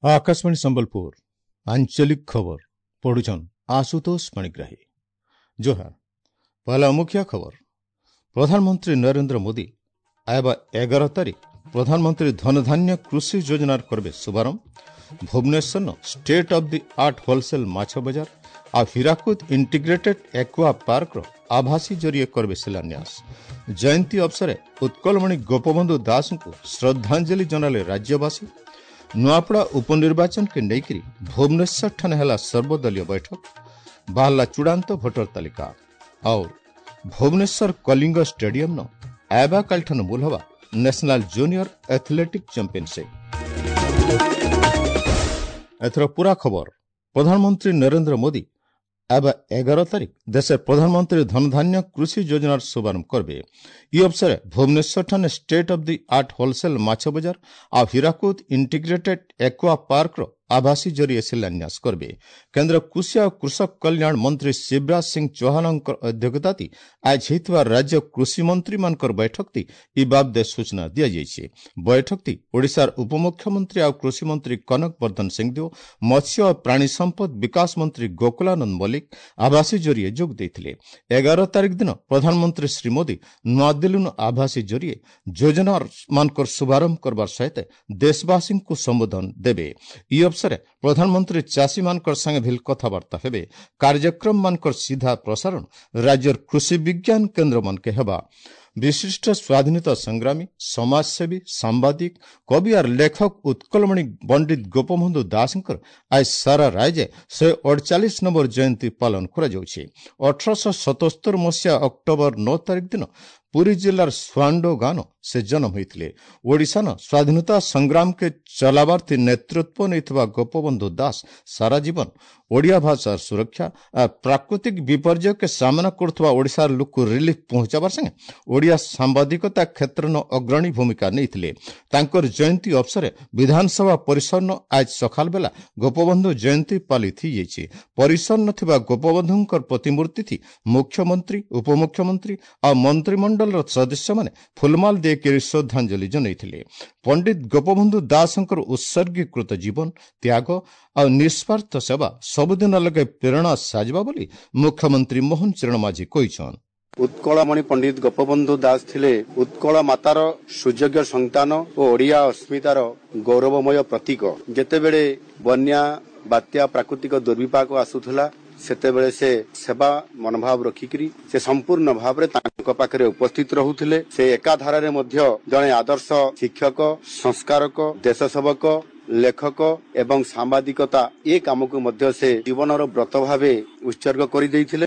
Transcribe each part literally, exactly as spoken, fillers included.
Akashvani Sambalpur आंचलिक खबर पढ़ुछन आशुतोष पाणिग्राही। जोहार। पहला मुख्य खबर। प्रधानमंत्री नरेंद्र मोदी आयबा एगार तारीख प्रधानमंत्री धनधान्य कृषि योजनार करबे शुभारंभ। Bhubaneswar state of the art wholesale माछ बजार आ हीराकुद इंटीग्रेटेड एक्वा पार्क आभासी जरिए करबे शिलान्यास। जयंती अवसरे उत्कलमणि गोपबंधु दास श्रद्धांजलि जनाले राज्यवासी। नुआपड़ा उपनिर्वाचन के नेइकरी भुवनेश्वर ठाने हला सर्वदलीय बैठक। बाहला चूड़ांत भोटर तालिका। और भुवनेश्वर कलिंग स्टेडियम न आयबा कालठान मूल हवा नेशनल जूनियर एथलेटिक चैंपियनशिप। एथर पूरा खबर। प्रधानमंत्री नरेंद्र मोदी आबा एगार तारीख देशेर प्रधानमंत्री धनधान्य कृषि योजनार शुभारंभ करबे। इ अवसरे भुवनेश्वर ठाने state of the art wholesale माछ बजार आ हीराकुद इंटीग्रेटेड एक्वा पार्क आभासी जरिए शिलान्यास करबे। केंद्र कृषि और कृषक कल्याण मंत्री शिवराज सिंह चौहान अध्यक्षता आज होइतबा राज्य कृषि मंत्री मानकर बैठक ती इ बाबदे सूचना दिया जाइছে। बैठक ती ओडिशार उपमुख्यमंत्री और कृषि मंत्री कनक वर्धन सिंहदेव, मत्स्य और प्राणी संपद विकास मंत्री गोकुलानंद मल्लिक आभासी जरिए जोग देइथिले। एगार तारीख दिन प्रधानमंत्री श्री मोदी नूआदिल्ली आभासी जरिए योजना मानकर शुभारंभ करबार सहित देशवासी को संबोधन देबे। इ अवसरे प्रधानमंत्री चाषी मानकर संगे भी कथावार्ता हेबे। कार्यक्रम मानकर सीधा प्रसारण राज्यर कृषि विज्ञान केंद्र मानके हेबा। विशिष्ट स्वाधीनता संग्रामी, समाजसेवी, सांबादिक, कवि और लेखक उत्कलमणि पंडित गोपबंधु दासଙ୍କର आज सारा राज्य शहे अड़चालीस नंबर जयंती पालन କରାଯାଉଛି। ଅଠରଶହ ସତସ୍ତର ମସିହା ଅକ୍ଟୋବର ନଅ ତାରିଖ ଦିନ ପୁରୀ ଜିଲ୍ଲାର ସୁଆଣ୍ଡୋ ଗାଁନ ସେ ଜନ୍ମ ହୋଇଥିଲେ। ଓଡ଼ିଶାନ ସ୍ୱାଧୀନତା ସଂଗ୍ରାମକେ ଚଲାବାର୍ଥୀ ନେତୃତ୍ୱ ନେଇଥିବା ଗୋପବନ୍ଧୁ ଦାସ ସାରା ଜୀବନ ଓଡ଼ିଆ ଭାଷାର ସୁରକ୍ଷା आ ପ୍ରାକୃତିକ ବିପର୍ଯ୍ୟୟକେ ସାମ୍ନା କରୁଥିବା ଓଡ଼ିଶାର ଲୋକକୁ ରିଲିଫ ପହଞ୍ଚାବାର ସାଙ୍ଗେ ଓଡ଼ିଆ ସାମ୍ବାଦିକତା କ୍ଷେତ୍ରନ ଅଗ୍ରଣୀ ଭୂମିକା ନେଇଥିଲେ। ତାଙ୍କର ଜୟନ୍ତୀ ଅବସରେ ବିଧାନସଭା ପରିସରନ ଆଜ ସକାଳ ବେଲା ଗୋପବନ୍ଧୁ ଜୟନ୍ତୀ ପାଳିତ ହୋଇଯାଇଛି। ପରିସରନ ଥିବା ଗୋପବନ୍ଧୁଙ୍କର ପ୍ରତିମୂର୍ତ୍ତି ଥି ମୁଖ୍ୟମନ୍ତ୍ରୀ, ଉପମୁଖ୍ୟମନ୍ତ୍ରୀ ଆଉ ମନ୍ତ୍ରିମଣ୍ଡଳର ସଦସ୍ୟମାନେ ଫୁଲମାଲ ଦେଇକରି ଶ୍ରଦ୍ଧାଞ୍ଜଳି ଜଣାଇଥିଲେ। ପଣ୍ଡିତ ଗୋପବନ୍ଧୁ ଦାସଙ୍କର ଉତ୍ସର୍ଗୀକୃତ ଜୀବନ, ତ୍ୟାଗ ଆଉ ନିଃସ୍ୱାର୍ଥ ସେବା ସବୁଦିନ ଲଗେ ପ୍ରେରଣା ସାଜିବା ବୋଲି ମୁଖ୍ୟମନ୍ତ୍ରୀ ମୋହନ ଚରଣ ମାଝୀ କହିଛନ୍ତି। ଉତ୍କଳମଣି ପଣ୍ଡିତ ଗୋପବନ୍ଧୁ ଦାସ ଥିଲେ ଉତ୍କଳ ମାତାର ସୁଯୋଗ୍ୟ ସନ୍ତାନ ଓ ଓଡ଼ିଆ ଅସ୍ମିତାର ଗୌରବମୟ ପ୍ରତୀକ। ଯେତେବେଳେ ବନ୍ୟା, ବାତ୍ୟା, ପ୍ରାକୃତିକ ଦୁର୍ବିପାକ ଆସୁଥିଲା, ସେତେବେଳେ ସେ ସେବା ମନୋଭାବ ରଖିକିରି ସେ ସମ୍ପୂର୍ଣ୍ଣ ଭାବରେ ତାଙ୍କ ପାଖରେ ଉପସ୍ଥିତ ରହୁଥିଲେ। ସେ ଏକାଧାରାରେ ମଧ୍ୟ ଜଣେ ଆଦର୍ଶ ଶିକ୍ଷକ, ସଂସ୍କାରକ, ଦେଶ ସେବକ, ଲେଖକ ଏବଂ ସାମ୍ବାଦିକତା ଏ କାମକୁ ମଧ୍ୟ ସେ ଜୀବନର ବ୍ରତ ଭାବେ ଉତ୍ସର୍ଗ କରିଦେଇଥିଲେ।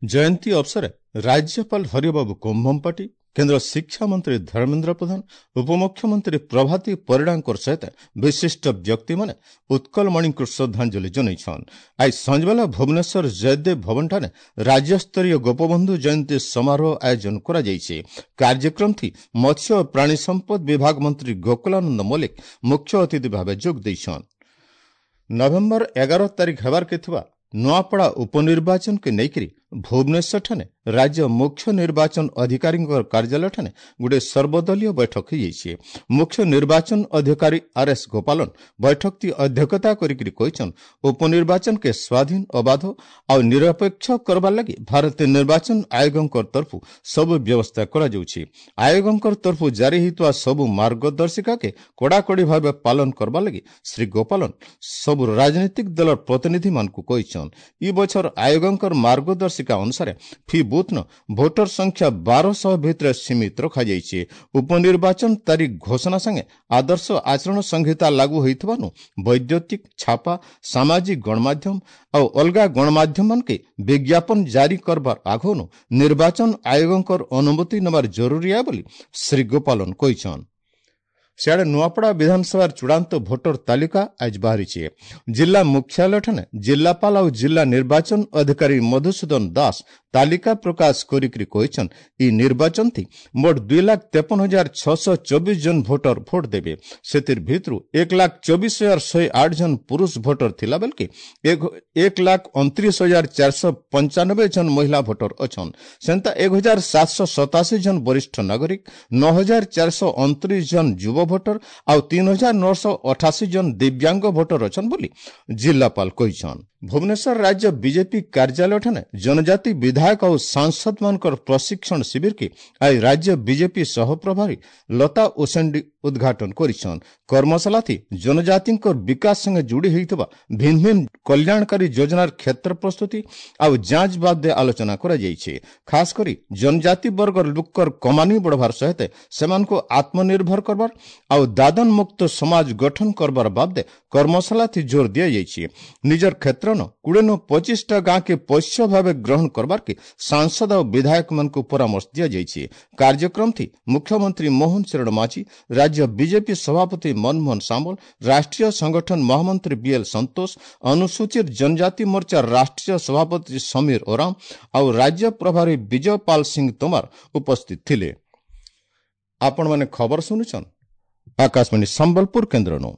ଜୟନ୍ତୀ ଅବସରେ ରାଜ୍ୟପାଳ ହରିବାବୁ କମ୍ଭମପାଟି, କେନ୍ଦ୍ର ଶିକ୍ଷାମନ୍ତ୍ରୀ ଧର୍ମେନ୍ଦ୍ର ପ୍ରଧାନ, ଉପମୁଖ୍ୟମନ୍ତ୍ରୀ ପ୍ରଭାତୀ ପରିଡ଼ାଙ୍କ ସହିତ ବିଶିଷ୍ଟ ବ୍ୟକ୍ତିମାନେ ଉତ୍କଳମଣିଙ୍କୁ ଶ୍ରଦ୍ଧାଞ୍ଜଳି ଜଣାଇଛନ୍। ଆଜି ସଞ୍ଜବେଲା ଭୁବନେଶ୍ୱର ଜୟଦେବ ଭବନଠାରେ ରାଜ୍ୟସ୍ତରୀୟ ଗୋପବନ୍ଧୁ ଜୟନ୍ତୀ ସମାରୋହ ଆୟୋଜନ କରାଯାଇଛି। କାର୍ଯ୍ୟକ୍ରମଟି ମତ୍ସ୍ୟ ଓ ପ୍ରାଣୀ ସମ୍ପଦ ବିଭାଗ ମନ୍ତ୍ରୀ ଗୋକୁଳାନନ୍ଦ ମଲ୍ଲିକ ମୁଖ୍ୟ ଅତିଥି ଭାବେ ଯୋଗ ଦେଇଛନ୍। ନଭେମ୍ବର ଏଗାର ତାରିଖ ହେବାର୍କେ ଥିବା ନୂଆପଡ଼ା ଉପନିର୍ବାଚନକେ ନେଇକରି ଭୁବନେଶ୍ୱରଠାରେ ରାଜ୍ୟ ମୁଖ୍ୟ ନିର୍ବାଚନ ଅଧିକାରୀଙ୍କ କାର୍ଯ୍ୟାଳୟଠାରେ ଗୋଟିଏ ସର୍ବଦଳୀୟ ବୈଠକ ହୋଇଯାଇଛି। ମୁଖ୍ୟ ନିର୍ବାଚନ ଅଧିକାରୀ ଆର୍ ଏସ୍ ଗୋପାଲନ ବୈଠକଟି ଅଧ୍ୟକ୍ଷତା କରିକି କହିଛନ୍, ଉପନିର୍ବାଚନକେ ସ୍ୱାଧୀନ, ଅବାଧ ଆଉ ନିରପେକ୍ଷ କରବାର ଲାଗି ଭାରତୀୟ ନିର୍ବାଚନ ଆୟୋଗଙ୍କ ତରଫରୁ ସବୁ ବ୍ୟବସ୍ଥା କରାଯାଉଛି। ଆୟୋଗଙ୍କ ତରଫରୁ ଜାରି ହୋଇଥିବା ସବୁ ମାର୍ଗଦର୍ଶିକାକେ କଡ଼ାକଡ଼ି ଭାବେ ପାଳନ କରବାର ଲାଗି ଶ୍ରୀ ଗୋପାଲନ ସବୁ ରାଜନୈତିକ ଦଳର ପ୍ରତିନିଧିମାନଙ୍କୁ କହିଛନ୍। ଇ ବଛର ଆୟୋଗଙ୍କ ମାର୍ଗଦର୍ଶିକା ଅନୁସାରେ ଫି ବୁଥ୍ନ ଭୋଟର ସଂଖ୍ୟା ବାରଶହ ଭିତରେ ସୀମିତ ରଖାଯାଇଛି। ଉପନିର୍ବାଚନ ତାରିଖ ଘୋଷଣା ସାଙ୍ଗେ ଆଦର୍ଶ ଆଚରଣ ସଂହିତା ଲାଗୁ ହୋଇଥିବାରୁ ବୈଦ୍ୟୁତିକ, ଛାପା, ସାମାଜିକ ଗଣମାଧ୍ୟମ ଆଉ ଅଲଗା ଗଣମାଧ୍ୟମମାନକେ ବିଜ୍ଞାପନ ଜାରି କରବାର ଆଗନୁ ନିର୍ବାଚନ ଆୟୋଗଙ୍କର ଅନୁମତି ନେବାର ଜରୁରୀ ବୋଲି ଶ୍ରୀ ଗୋପାଲନ କହିଛନ୍। ସିଆଡ଼େ ନୂଆପଡ଼ା ବିଧାନସଭାର ଚୂଡ଼ାନ୍ତ ଭୋଟର ତାଲିକା ଆଜି ବାହାରିଛି। ଜିଲ୍ଲା ମୁଖ୍ୟାଳୟଠାରେ ଜିଲ୍ଲାପାଳ ଆଉ ଜିଲ୍ଲା ନିର୍ବାଚନ ଅଧିକାରୀ ମଧୁସୂଦନ ଦାସ ତାଲିକା ପ୍ରକାଶ କରିକି କହିଛନ୍, ଇ ନିର୍ବାଚନଥି ମୋଟ ଦୁଇ ଲାଖ ତେପନ ହଜାର ଛଅଶହ ଚବିଶ ଜଣ ଭୋଟର ଭୋଟ ଦେବେ। ସେଥିର ଭିତରୁ ଏକ ଲାଖ ଚବିଶ ହଜାର ଶହେ ଆଠ ଜଣ ପୁରୁଷ ଭୋଟର ଥିଲା ବେଲକେ ଏକ ଲାଖ ଅଣତିରିଶ ହଜାର ଚାରିଶହ ପଞ୍ଚାନବେ ଜଣ ମହିଳା ଭୋଟର ଅଛନ୍। ସେନ୍ତା ଏକ ହଜାର ସାତଶହ ସତାଅଶୀ ଜଣ ବରିଷ୍ଠ ନାଗରିକ, ନଅ ହଜାର ଚାରିଶହ ଅଣତିରିଶ ଜଣ ଯୁବ ଭୋଟର ଆଉ ତିନି ହଜାର ନଅଶହ ଅଠାଅଶୀ ଜଣ ଦିବ୍ୟାଙ୍ଗ ଭୋଟର ଅଛନ୍ ବୋଲି ଜିଲ୍ଲାପାଳ କହିଛନ୍। ଭୁବନେଶ୍ୱର ରାଜ୍ୟ ବିଜେପି କାର୍ଯ୍ୟାଳୟଠାରେ ଜନଜାତି ବିଧାୟକ ଆଉ ସାଂସଦମାନଙ୍କର ପ୍ରଶିକ୍ଷଣ ଶିବିରକେ ଆଜି ରାଜ୍ୟ ବିଜେପି ସହପ୍ରଭାରୀ ଲତା ଉସେଣ୍ଡି ଉଦ୍ଘାଟନ କରିଛନ୍। କର୍ମଶାଳାଥି ଜନଜାତିଙ୍କର ବିକାଶ ସଙ୍ଗେ ଯୋଡ଼ି ହୋଇଥିବା ଭିନ୍ନ ଭିନ୍ନ କଲ୍ୟାଣକାରୀ ଯୋଜନାର କ୍ଷେତ୍ର ପ୍ରସ୍ତୁତି ଆଉ ଯାଞ୍ଚ ବାଦେ ଆଲୋଚନା କରାଯାଇଛି। ଖାସ କରି ଜନଜାତି ବର୍ଗର ଲୋକର କମାନି ବଢ଼ବାର ସହିତ ସେମାନଙ୍କୁ ଆତ୍ମନିର୍ଭର କରବାର ଆଉ ଦାଦନ ମୁକ୍ତ ସମାଜ ଗଠନ କରବାର ବାବଦେ କର୍ମଶାଳାଥି ଜୋର ଦିଆଯାଇଛି। ନିଜର କ୍ଷେତ୍ର କୋଡ଼ିଏ ପଚିଶଟା ଗାଁକେ ପୋଷ୍ୟ ଭାବେ ଗ୍ରହଣ କରବାର୍କେ ସାଂସଦ ଆଉ ବିଧାୟକମାନଙ୍କୁ ପରାମର୍ଶ ଦିଆଯାଇଛି। କାର୍ଯ୍ୟକ୍ରମଥି ମୁଖ୍ୟମନ୍ତ୍ରୀ ମୋହନ ଚରଣ ମାଝୀ, ରାଜ୍ୟ ବିଜେପି ସଭାପତି ମନମୋହନ ସାମଲ, ରାଷ୍ଟ୍ରୀୟ ସଂଗଠନ ମହାମନ୍ତ୍ରୀ ବିଏଲ୍ ସନ୍ତୋଷ, ଅନୁସୂଚିତ ଜନଜାତି ମୋର୍ଚ୍ଚା ରାଷ୍ଟ୍ରୀୟ ସଭାପତି ସମୀର ଓରାମ ଆଉ ରାଜ୍ୟ ପ୍ରଭାରୀ ବିଜୟ ପାଲ ସିଂ ତୋମାର ଉପସ୍ଥିତ ଥିଲେ। ଆପଣମାନେ ଖବର ଶୁଣୁଛନ୍ ଆକାଶବାଣୀ ସମ୍ବଲପୁର କେନ୍ଦ୍ରନୁ।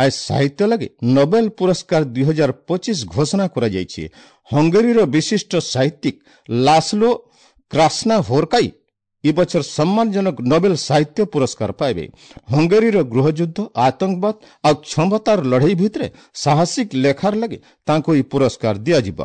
ଆজ ସାହିତ୍ୟ ଲାଗି ନୋବେଲ ପୁରସ୍କାର ଦୁଇ ହଜାର ପଚିଶ ଘୋଷଣା କରାଯାଇଛି। ହଙ୍ଗେରୀର ବିଶିଷ୍ଟ ସାହିତ୍ୟିକ ଲାସ୍ଲୋ କ୍ରାସ୍ନା ହୋରକାଇ ଏ ବଛର ସମ୍ମାନଜନକ ନୋବେଲ ସାହିତ୍ୟ ପୁରସ୍କାର ପାଇବେ। ହଙ୍ଗେରୀର ଗୃହଯୁଦ୍ଧ, ଆତଙ୍କବାଦ ଆଉ କ୍ଷମତାର ଲଢ଼େଇ ଭିତରେ ସାହସିକ ଲେଖାର ଲାଗି ତାଙ୍କୁ ଏହି ପୁରସ୍କାର ଦିଆଯିବ।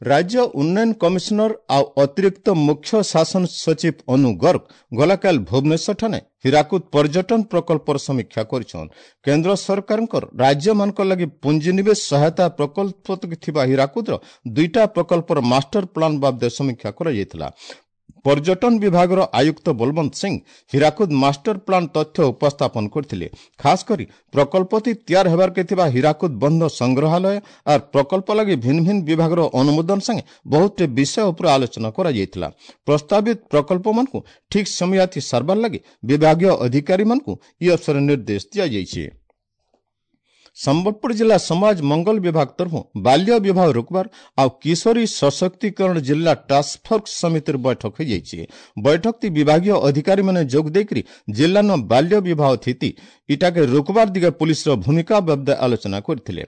ରାଜ୍ୟ ଉନ୍ନୟନ କମିଶନର ଆଉ ଅତିରିକ୍ତ ମୁଖ୍ୟ ଶାସନ ସଚିବ ଅନୁ ଗର୍ଗ ଗଲାକାଲି ଭୁବନେଶ୍ୱରଠାରେ ହୀରାକୁଦ ପର୍ଯ୍ୟଟନ ପ୍ରକଳ୍ପର ସମୀକ୍ଷା କରିଛନ୍। କେନ୍ଦ୍ର ସରକାରଙ୍କର ରାଜ୍ୟମାନଙ୍କ ଲାଗି ପୁଞ୍ଜିନିବେଶ ସହାୟତା ପ୍ରକଳ୍ପ ଥିବା ହୀରାକୁଦର ଦୁଇଟା ପ୍ରକଳ୍ପର ମାଷ୍ଟର ପ୍ଲାନ୍ ବାବଦେ ସମୀକ୍ଷା କରାଯାଇଥିଲା। ପର୍ଯ୍ୟଟନ ବିଭାଗର ଆୟୁକ୍ତ ବଲବନ୍ତ ସିଂ ହୀରାକୁଦ ମାଷ୍ଟର ପ୍ଲାନ୍ ତଥ୍ୟ ଉପସ୍ଥାପନ କରିଥିଲେ। ଖାସ କରି ପ୍ରକଳ୍ପଟି ତିଆର ହେବାର୍କେ ଥିବା ହୀରାକୁଦ ବନ୍ଧ ସଂଗ୍ରହାଳୟ ଆର୍ ପ୍ରକଳ୍ପ ଲାଗି ଭିନ୍ନ ଭିନ୍ନ ବିଭାଗର ଅନୁମୋଦନ ସାଙ୍ଗେ ବହୁତଟେ ବିଷୟ ଉପରେ ଆଲୋଚନା କରାଯାଇଥିଲା। ପ୍ରସ୍ତାବିତ ପ୍ରକଳ୍ପମାନଙ୍କୁ ଠିକ୍ ସମୟାଥି ସାରବାର ଲାଗି ବିଭାଗୀୟ ଅଧିକାରୀମାନଙ୍କୁ ଇ ଅବସରରେ ନିର୍ଦ୍ଦେଶ ଦିଆଯାଇଛି। ସମ୍ବଲପୁର ଜିଲ୍ଲା ସମାଜ ମଙ୍ଗଳ ବିଭାଗ ତରଫରୁ ବାଲ୍ୟ ବିବାହ ରୋକବାର ଆଉ କିଶୋରୀ ସଶକ୍ତିକରଣ ଜିଲ୍ଲା ଟାସ୍କଫୋର୍ସ ସମିତିର ବୈଠକ ହୋଇଯାଇଛି। ବୈଠକଟି ବିଭାଗୀୟ ଅଧିକାରୀମାନେ ଯୋଗ ଦେଇକରି ଜିଲ୍ଲାନ ବାଲ୍ୟ ବିବାହ ସ୍ଥିତି ଇଟାକେ ରୋକବାର ଦିଗେ ପୁଲିସର ଭୂମିକା ବାବଦେ ଆଲୋଚନା କରିଥିଲେ।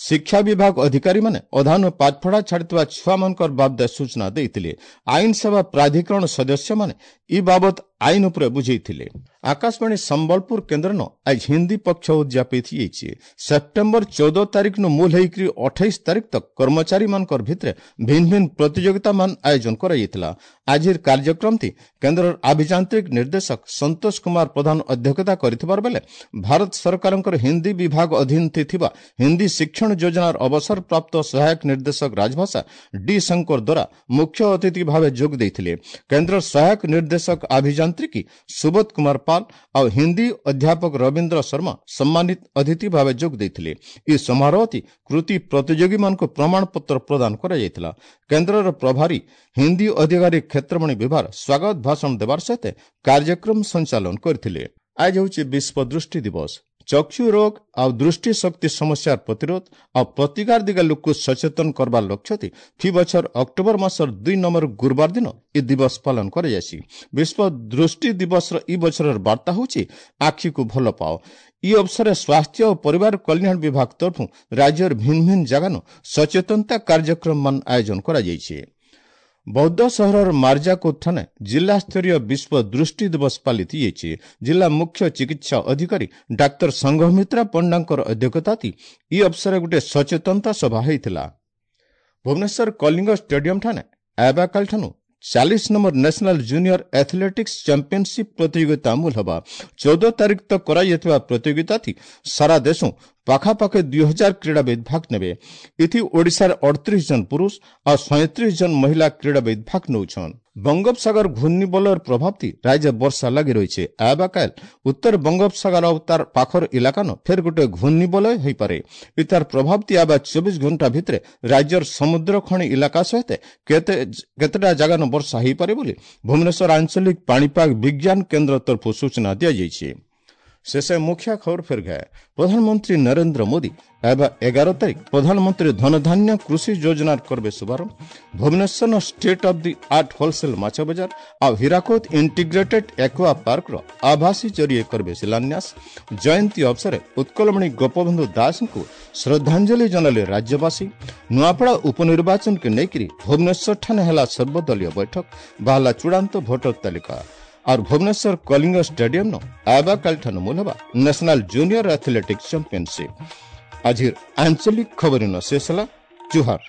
ଶିକ୍ଷା ବିଭାଗ ଅଧିକାରୀମାନେ ଅଧାନୁ ପାଠପଢ଼ା ଛାଡ଼ିଥିବା ଛୁଆମାନଙ୍କର ବାବଦେ ସୂଚନା ଦେଇଥିଲେ। ଆଇନ ସେବା ପ୍ରାଧିକରଣ ସଦସ୍ୟମାନେ ଇ ବାବଦ ଆଇନ ଉପରେ ବୁଝେଇଥିଲେ। ଆକାଶବାଣୀ ସମ୍ବଲପୁର କେନ୍ଦ୍ରନ ଆଜ ହିନ୍ଦୀ ପକ୍ଷ ଉଦଯାପିତ ହେଇଯାଇଛି। ସେପ୍ଟେମ୍ବର ଚଉଦ ତାରିଖନୁ ମୂଲ ହେଇକରି ଅଠେଇଶ ତାରିଖ ତକ କର୍ମଚାରୀମାନଙ୍କର ଭିତରେ ଭିନ୍ନ ଭିନ୍ନ ପ୍ରତିଯୋଗିତାମାନ ଆୟୋଜନ କରାଯାଇଥିଲା। ଆଜିର କାର୍ଯ୍ୟକ୍ରମଟି କେନ୍ଦ୍ରର ଆଭିଯାନ୍ତ୍ରିକ ନିର୍ଦ୍ଦେଶକ ସନ୍ତୋଷ କୁମାର ପ୍ରଧାନ ଅଧ୍ୟକ୍ଷତା କରିଥିବାର ବେଲେ ଭାରତ ସରକାରଙ୍କର ହିନ୍ଦୀ ବିଭାଗ ଅଧୀନ ଥିବା ହିନ୍ଦୀ ଶିକ୍ଷଣ ଯୋଜନାର ଅବସରପ୍ରାପ୍ତ ସହାୟକ ନିର୍ଦ୍ଦେଶକ ରାଜଭାଷା ଡି ଶଙ୍କର ଦ୍ୱାରା ମୁଖ୍ୟ ଅତିଥି ଭାବେ ଯୋଗ ଦେଇଥିଲେ। କେନ୍ଦ୍ରର ସହାୟକ ନିର୍ଦ୍ଦେଶକ ଆଭିଯାନ୍ତ୍ରିକୀ ସୁବୋଧ କୁମାର ପାଲ ଆଉ ହିନ୍ଦୀ ଅଧ୍ୟାପକ ରବୀନ୍ଦ୍ର ଶର୍ମା ସମ୍ମାନିତ ଅତିଥି ଭାବେ ଯୋଗ ଦେଇଥିଲେ। ଏହି ସମାରୋହଟି କୃତି ପ୍ରତିଯୋଗୀମାନଙ୍କୁ ପ୍ରମାଣପତ୍ର ପ୍ରଦାନ କରାଯାଇଥିଲା। କେନ୍ଦ୍ରର ପ୍ରଭାରୀ ହିନ୍ଦୀ ଅଧିକାରୀ କ୍ଷେତ୍ରମଣି ବିଭାର ସ୍ୱାଗତ ଭାଷଣ ଦେବାର ସହିତ କାର୍ଯ୍ୟକ୍ରମ ସଞ୍ଚାଳନ କରିଥିଲେ। ଆଜି ହେଉଛି ବିଶ୍ୱ ଦୃଷ୍ଟି ଦିବସ। ଚକ୍ଷୁ ରୋଗ ଆଉ ଦୃଷ୍ଟି ଶକ୍ତି ସମସ୍ୟାର ପ୍ରତିରୋଧ ଆଉ ପ୍ରତିକାର ଦିଗେ ଲୋକକୁ ସଚେତନ କରବାର ଲକ୍ଷ୍ୟଥି ଫି ବଛର ଅକ୍ଟୋବର ମାସର ଦୁଇ ନମ୍ବର ଗୁରୁବାର ଦିନ ଏ ଦିବସ ପାଳନ କରାଯାଇଛି। ବିଶ୍ୱ ଦୃଷ୍ଟି ଦିବସର ଇ ବଛରର ବାର୍ତ୍ତା ହେଉଛି ଆଖିକୁ ଭଲ ପାଅ। ଇ ଅବସରରେ ସ୍ୱାସ୍ଥ୍ୟ ଓ ପରିବାର କଲ୍ୟାଣ ବିଭାଗ ତରଫରୁ ରାଜ୍ୟର ଭିନ୍ନ ଭିନ୍ନ ଜାଗାନୁ ସଚେତନତା କାର୍ଯ୍ୟକ୍ରମମାନ ଆୟୋଜନ କରାଯାଇଛି। ବୌଦ୍ଧ ସହରର ମାର୍ଜାକୋଟ ଥାନା ଜିଲ୍ଲାସ୍ତରୀୟ ବିଶ୍ୱ ଦୃଷ୍ଟି ଦିବସ ପାଳିତ ହୋଇଛି। ଜିଲ୍ଲା ମୁଖ୍ୟ ଚିକିତ୍ସା ଅଧିକାରୀ ଡାକ୍ତର ସଂଘମିତ୍ରା ପଣ୍ଡାଙ୍କର ଅଧ୍ୟକ୍ଷତାତି ଇ ଅବସରରେ ଗୋଟିଏ ସଚେତନତା ସଭା ହୋଇଥିଲା। ଭୁବନେଶ୍ୱର କଳିଙ୍ଗ ଷ୍ଟାଡିୟମ ଠାରେ ଆବାକାଲଠାନୁ ଚାଳିଶ number national junior athletics championship ପ୍ରତିଯୋଗିତା ମୂଲ ହେବା। ଚଉଦ ତାରିଖ ତକ କରାଯାଇଥିବା ପ୍ରତିଯୋଗିତାଥି ସାରା ଦେଶ ପାଖାପାଖି ଦୁଇ ହଜାର କ୍ରୀଡ଼ାବିତ୍ ଭାଗ ନେବେ। ଏଥି ଓଡ଼ିଶାର ଅଠତିରିଶ ଜଣ ପୁରୁଷ ଆଉ ସଇଁତିରିଶ ଜଣ ମହିଳା କ୍ରୀଡ଼ାବିତ୍ ଭାଗ ନେଉଛନ୍। ବଙ୍ଗୋପସାଗର ଘୂର୍ଣ୍ଣିବଳୟର ପ୍ରଭାବତି ରାଜ୍ୟ ବର୍ଷା ଲାଗି ରହିছে। ଆବାକାଲ ଉତ୍ତର ବଙ୍ଗୋପସାଗର ଆଉ ତାର ପାଖର ଇଲାକାନ ଫେର ଗୋଟେ ଘୂର୍ଣ୍ଣିବଳୟ ହୋଇପାରେ। ଇତାର ପ୍ରଭାବତି ଆବା ଚବିଶ ଘଣ୍ଟା ଭିତରେ ରାଜ୍ୟର ସମୁଦ୍ର ଖଣି ଇଲାକା ସହିତ କେତେ କେତେଟା ଜାଗାନ ବର୍ଷା ହୋଇପାରେ ବୋଲି ଭୁବନେଶ୍ୱର ଆଞ୍ଚଳିକ ପାଣିପାଗ ବିଜ୍ଞାନ କେନ୍ଦ୍ର ତରଫରୁ ସୂଚନା ଦିଆଯାଇଛି। ଶେଷ ମୁଖ୍ୟ ଖବର ଫେର ଗए। ପ୍ରଧାନମନ୍ତ୍ରୀ ନରେନ୍ଦ୍ର ମୋଦି ଏବେ ଏଗାର ତାରିଖ ପ୍ରଧାନମନ୍ତ୍ରୀ ଧନଧାନ୍ୟ କୃଷି ଯୋଜନାର କରବେ ଶୁଭାରମ୍ଭ। Bhubaneswar state of the art wholesale ମାଛ ବଜାର ଆଉ ହୀରାକୁଦ ଇଣ୍ଟିଗ୍ରେଟେଡ୍ ଏକ୍ୱା ପାର୍କର ଆଭାସୀ ଜରିଏ କରବେ ଶିଳାନ୍ୟାସ। ଜୟନ୍ତୀ ଅବସରେ ଉତ୍କଳମଣି ଗୋପବନ୍ଧୁ ଦାସଙ୍କୁ ଶ୍ରଦ୍ଧାଞ୍ଜଳି ଜଣାଇଲେ ରାଜ୍ୟବାସୀ। ନୂଆପଡ଼ା ଉପନିର୍ବାଚନକୁ ନେଇକରି ଭୁବନେଶ୍ୱରଠାରେ ହେଲା ସର୍ବଦଳୀୟ ବୈଠକ, ବାହାରିଲା ଚୂଡ଼ାନ୍ତ ଭୋଟର ତାଲିକା। और भुवनेश्वर कलिंग स्टेडियम ନ ଆବାକାଲିଠାରୁ ମୂଲ ହେବା ନ୍ୟାସନାଲ ଜୁନିୟର ଆଥଲେଟିକ୍ସ ଚାମ୍ପିୟନସିପ୍। ଆଜିର ଆଞ୍ଚଳିକ ଖବର ଶେଷ ହେଲା। ଜୁହାର।